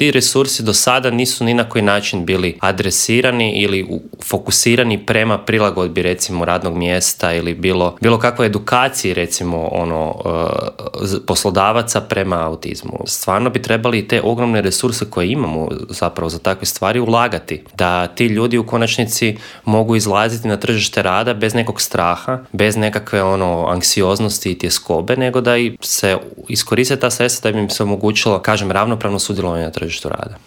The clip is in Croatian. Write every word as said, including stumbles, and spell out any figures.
ti resursi do sada nisu ni na koji način bili adresirani ili fokusirani prema prilagodbi recimo radnog mjesta ili bilo, bilo kakvoj edukaciji recimo ono poslodavaca prema autizmu. Stvarno bi trebali te ogromne resurse koje imamo zapravo za takve stvari ulagati, da ti ljudi u konačnici mogu izlaziti na tržište rada bez nekog straha, bez nekakve ono anksioznosti i tjeskobe, nego da i se iskoriste ta sredstva da bi im se omogućilo, kažem, ravnopravno sudjelovanje na tržištu rada.